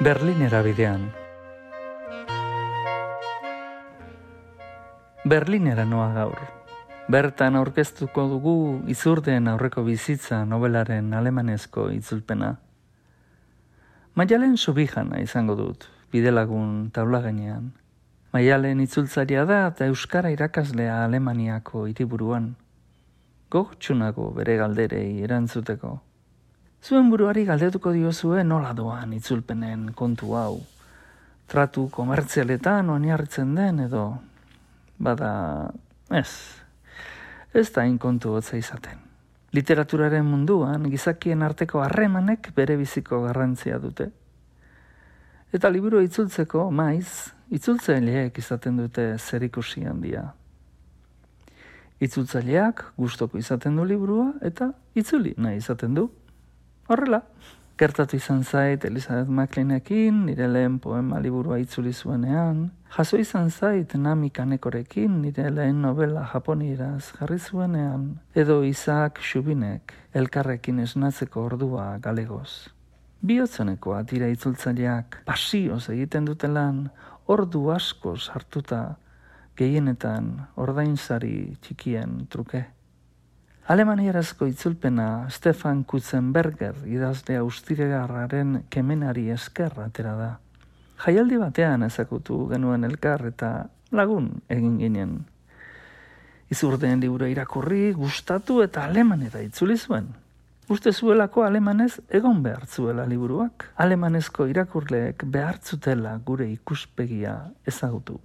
Berlinera bidean. Berlinera noa gaur. Bertan aurkeztuko dugu Izurdeen aurreko bizitza nobelaren alemanezko itzulpena. Maialen Subijana izango dut, bidelagun taula gainean. Maialen itzultzaria da eta euskara irakaslea Alemaniako hiriburuan. Gogotsunago bere galderei erantzuteko. Zuen buruari galdetuko diozue nola doan itzulpenen kontu hau. Tratu komertzialetan oinarritzen den edo, bada, ez da inkontu hotza izaten. Literaturaren munduan gizakien arteko harremanek bere biziko garrantzia dute. Eta liburu itzultzeko maiz, itzultzaileek izaten dute zerikusi handia. Itzultzaileak gustoko izaten du liburua eta itzuli nahi izaten du. Horrela, gertatu izan zait Elizabeth Macleanekin, nire lehen poema liburua itzuli zuenean, jaso izan zait Nami Kanekorekin, nire lehen novela japonieraz jarri zuenean, edo Isaac Xubinek elkarrekin esnatzeko ordua galegoz. Bihotzenekoa dira itzultzaileak, pasioz egiten dutelan, ordu asko sartuta, gehienetan ordainsari txikien truke. Alemanierazko itzulpena Stefan Kutzenberger idazle austriarraren kemenari esker atera da. Jaialdi batean ezagutu genuen elkar eta lagun egin ginen. Izurdeen liburu irakurri, gustatu eta alemanera itzuli zuen. Uste zuelako alemanez egon behar zuela liburuak. Alemanezko irakurleek behartzutela gure ikuspegia ezagutu.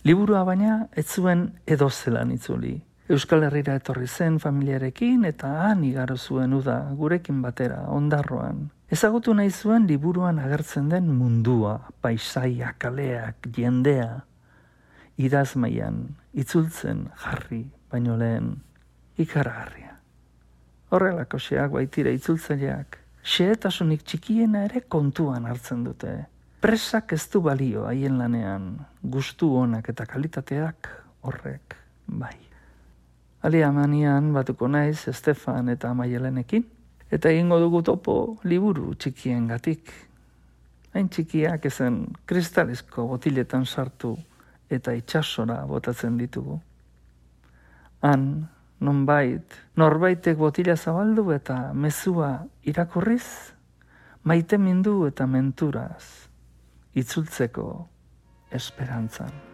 Liburua baina ez zuen edozelan itzuli. Euskal Herrira etorri zen familiarekin eta han igaro zuen uda gurekin batera, ondarroan. Ezagutu nahi zuen liburuan agertzen den mundua, paisaia, kaleak, jendea. Idazmaian, itzultzen jarri, baino lehen, ikaragarria. Horrelako xeak baitira itzultzaileak, xehetasunik txikiena ere kontuan hartzen dute. Presak ez du balio haien lanean, gustu onak eta kalitateak horrek bai. Alemanian batuko naiz Stefan eta Maialenekin, eta egingo dugu topo liburu txikiengatik. Hain txikiak ezen kristalizko botiletan sartu eta itsasora botatzen ditugu. Han, norbaitek botila zabaldu eta mezua irakurriz, maitemindu eta menturaz, itzultzeko esperantzan.